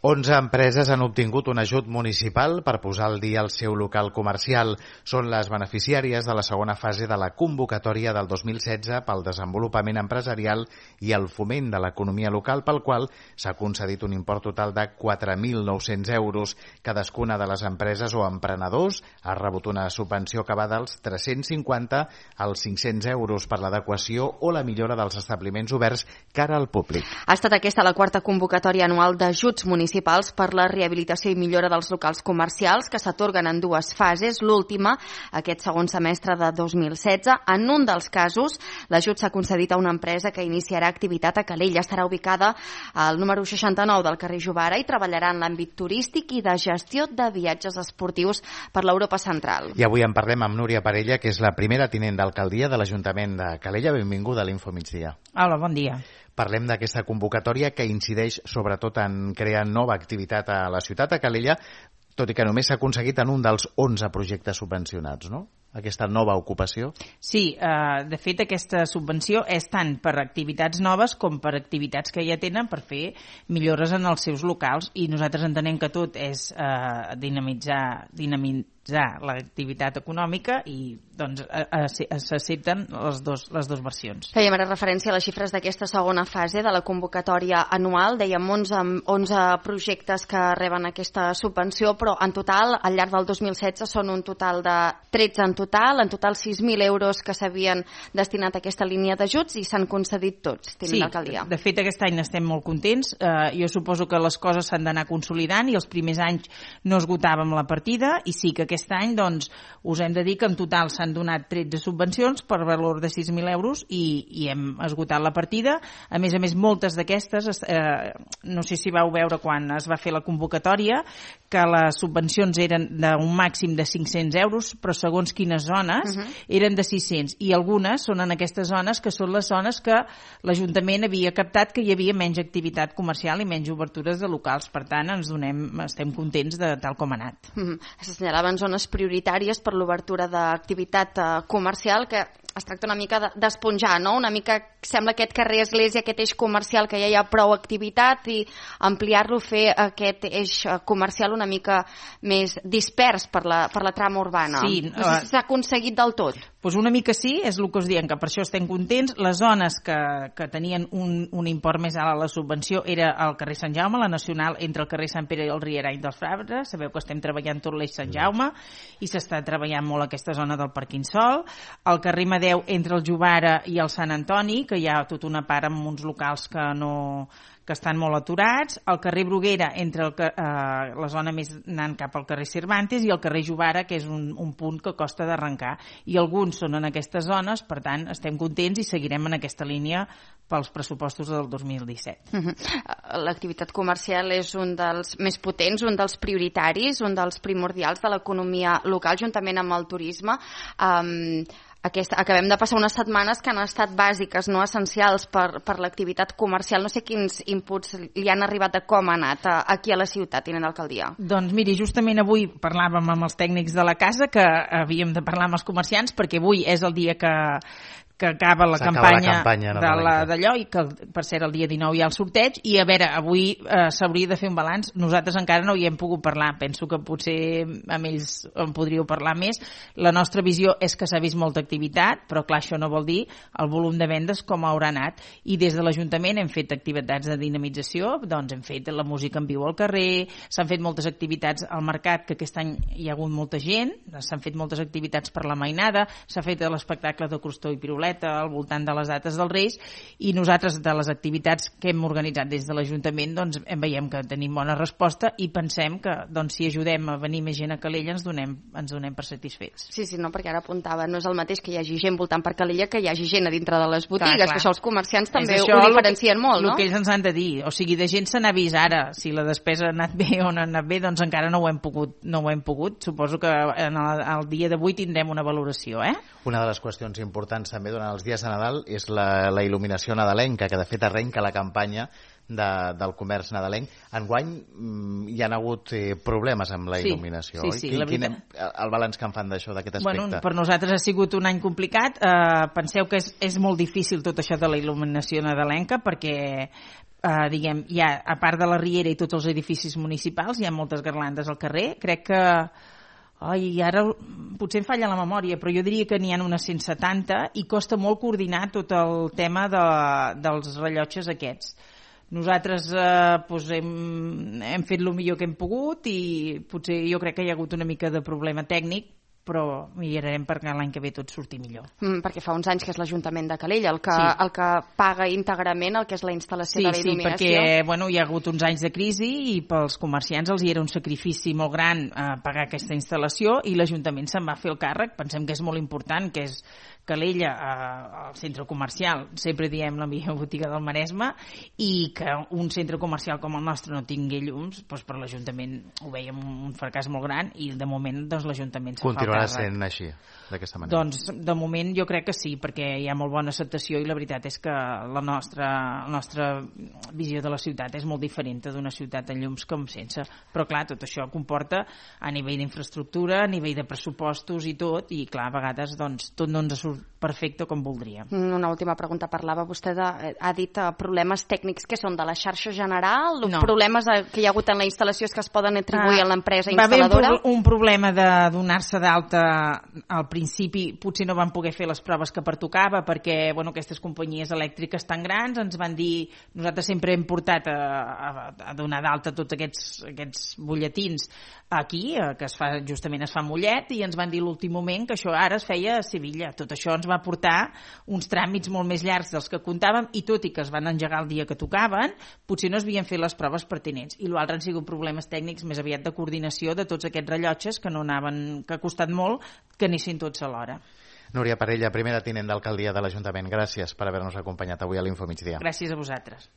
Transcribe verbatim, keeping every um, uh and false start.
onze empreses han obtingut un ajut municipal per posar al dia el seu local comercial. Són les beneficiàries de la segona fase de la convocatòria del dos mil setze pel desenvolupament empresarial i el foment de l'economia local, pel qual s'ha concedit un import total de quatre mil nou-cents euros. Cadascuna de les empreses o emprenedors ha rebut una subvenció que va dels tres-cents cinquanta als cinc-cents euros per l'adequació o la millora dels establiments oberts cara al públic. Ha estat aquesta la quarta convocatòria anual d'ajuts municipals per la rehabilitació i millora dels locals comercials que s'atorguen en dues fases, l'última aquest segon semestre de dos mil setze. En un dels casos, l'ajut s'ha concedit a una empresa que iniciarà activitat a Calella. Estarà ubicada al número seixanta-nou del carrer Jovara i treballarà en l'àmbit turístic i de gestió de viatges esportius per l'Europa Central. I avui en parlem amb Núria Parella, que és la primera tinent d'alcaldia de l'Ajuntament de Calella. Benvinguda a l'Info Migdia. Hola, bon dia. Parlem d'aquesta convocatòria que incideix sobretot en crear nova activitat a la ciutat, a Calella, tot i que només s'ha aconseguit en un dels onze projectes subvencionats, no? Aquesta nova ocupació? Sí, eh, de fet aquesta subvenció és tant per activitats noves com per activitats que ja tenen per fer millores en els seus locals, i nosaltres entenem que tot és eh, dinamitzar, dinamitzar l'activitat econòmica i doncs s'accepten les dos, les dues versions. Fèiem ara referència a les xifres d'aquesta segona fase de la convocatòria anual. Dèiem onze, onze projectes que reben aquesta subvenció, però en total, al llarg del dos mil setze, són un total de tretze en total, en total sis mil euros que s'havien destinat a aquesta línia d'ajuts i s'han concedit tots, tinent sí, d'alcaldia. De fet aquest any estem molt contents. Eh, jo suposo que les coses s'han d'anar consolidant i els primers anys no esgotàvem la partida, i sí que aquest any doncs, us hem de dir que en total s'han donat tretze subvencions per valor de sis mil euros i, i hem esgotat la partida. A més a més, moltes d'aquestes, eh, no sé si vau veure quan es va fer la convocatòria, que les subvencions eren d'un màxim de cinc-cents euros, però segons quines zones uh-huh. eren de sis-cents, i algunes són en aquestes zones que són les zones que l'Ajuntament havia captat que hi havia menys activitat comercial i menys obertures de locals. Per tant, ens donem, estem contents de tal com ha anat. Uh-huh. S'assenyalaven zones prioritàries per l'obertura d'activitat eh, comercial, que es tracta una mica d'esponjar, no? Una mica sembla aquest carrer Església, aquest eix comercial que ja hi ha prou activitat, i ampliar-lo, fer aquest eix comercial una mica més dispers per la, per la trama urbana. Sí, no sé si s'ha aconseguit del tot. Pues una mica sí, és el que us diem, que per això estem contents. Les zones que, que tenien un, un import més alt a la subvenció era el carrer Sant Jaume, la Nacional, entre el carrer Sant Pere i el Rierany dels Frabres. Sabeu que estem treballant tot l'eix Sant Jaume i s'està treballant molt aquesta zona del Parquinsol. El carrer Madeu entre el Jovara i el Sant Antoni, que hi ha tota una part amb uns locals que no... que estan molt aturats, el carrer Bruguera entre el, eh, la zona més anant cap al carrer Cervantes, i el carrer Jovara, que és un, un punt que costa d'arrencar, i alguns són en aquestes zones. Per tant, estem contents i seguirem en aquesta línia pels pressupostos del dos mil disset. Uh-huh. L'activitat comercial és un dels més potents, un dels prioritaris, un dels primordials de l'economia local, juntament amb el turisme. Um, Aquesta, acabem de passar unes setmanes que han estat bàsiques, no essencials per, per l'activitat comercial. No sé quins inputs li han arribat de com ha anat a, aquí a la ciutat, tinent d'alcaldia. Doncs miri, justament avui parlàvem amb els tècnics de la casa, que havíem de parlar amb els comerciants, perquè avui és el dia que que acaba la campanya, la campanya d'allò, i que per cert el dia dinou hi ha el sorteig, i a veure, avui eh, s'hauria de fer un balanç. Nosaltres encara no hi hem pogut parlar, penso que potser amb ells en podríeu parlar més. La nostra visió és que s'ha vist molta activitat, però clar, això no vol dir el volum de vendes com haurà anat, i des de l'Ajuntament hem fet activitats de dinamització, doncs hem fet la música en viu al carrer, s'han fet moltes activitats al mercat, que aquest any hi ha hagut molta gent, s'han fet moltes activitats per la mainada, s'ha fet l'espectacle de crostó i piruleta al voltant de les dates dels Reis, i nosaltres de les activitats que hem organitzat des de l'Ajuntament doncs en veiem que tenim bona resposta, i pensem que doncs, si ajudem a venir més gent a Calella ens donem, ens donem per satisfets. Sí, sí, no, perquè ara apuntava, no és el mateix que hi hagi gent voltant per Calella que hi hagi gent a dintre de les botigues, clar, clar. Que això els comerciants també ho diferencien que, molt, no? El que ells ens han de dir, o sigui, de gent se n'ha vist ara, si la despesa ha anat bé o no ha anat bé, doncs encara no ho hem pogut, no ho hem pogut. Suposo que en el, el dia d'avui tindrem una valoració, eh? Una de les qüestions importants també durant els dies de Nadal és la, la il·luminació nadalenca, que de fet arrenca la campanya de, del comerç nadalenc. Enguany hi ha hagut eh, problemes amb la sí, il·luminació, sí, oi? sí, Quin, la quin, veritat... el balanç que en fan d'això, d'aquest aspecte? Bueno, per nosaltres ha sigut un any complicat. Uh, penseu que és, és molt difícil tot això de la il·luminació nadalenca perquè Uh, diguem, hi ha, a part de la Riera i tots els edificis municipals, hi ha moltes garlandes al carrer. Crec que ai, ara potser em falla la memòria, però jo diria que n'hi ha unes cent setanta i costa molt coordinar tot el tema de, dels rellotges aquests. Nosaltres eh, doncs hem, hem fet el millor que hem pogut i potser jo crec que hi ha hagut una mica de problema tècnic, però mirarem perquè l'any que ve tot surti millor. Mm, perquè fa uns anys que és l'Ajuntament de Calella el que, sí. el que paga íntegrament el que és la instal·lació sí, de la il·luminació. Sí, perquè bueno, hi ha hagut uns anys de crisi i pels comerciants els hi era un sacrifici molt gran eh, pagar aquesta instal·lació i l'Ajuntament se'n va fer el càrrec. Pensem que és molt important, que és Calella, eh, el centre comercial, sempre diem la millor botiga del Maresme, i que un centre comercial com el nostre no tingui llums, doncs per l'Ajuntament ho veiem un fracàs molt gran i de moment doncs, l'Ajuntament se'n fa el càrrec. Continuarà sent així, d'aquesta manera? Doncs de moment jo crec que sí, perquè hi ha molt bona acceptació i la veritat és que la nostra, la nostra visió de la ciutat és molt diferent d'una ciutat amb llums com sense. Però clar, tot això comporta a nivell d'infraestructura, a nivell de pressupostos i tot, i clar, a vegades doncs, tot no ens surt perfecte com voldríem. Una última pregunta. Parlava vostè de, ha dit uh, problemes tècnics que són de la xarxa general, no. problemes que hi ha hagut en la instal·lació que es poden atribuir ah, a l'empresa instal·ladora? Va haver un, un problema de donar-se d'alta al principi, potser no van poder fer les proves que pertocava perquè bueno, aquestes companyies elèctriques tan grans ens van dir, nosaltres sempre hem portat a, a, a donar d'alta tots aquests, aquests butlletins aquí, que es fa, justament es fa a Mollet, i ens van dir l'últim moment que això ara es feia a Sevilla. Tot això ens va portar uns tràmits molt més llargs dels que comptàvem i tot i que es van engegar el dia que tocaven, potser no es havien fet les proves pertinents. I l'altre han sigut problemes tècnics més aviat de coordinació de tots aquests rellotges que no anaven, que ha costat molt que anessin tots alhora. Núria Parella, primera tinent d'alcaldia de l'Ajuntament, gràcies per haver-nos acompanyat avui a l'Info Migdia. Gràcies a vosaltres.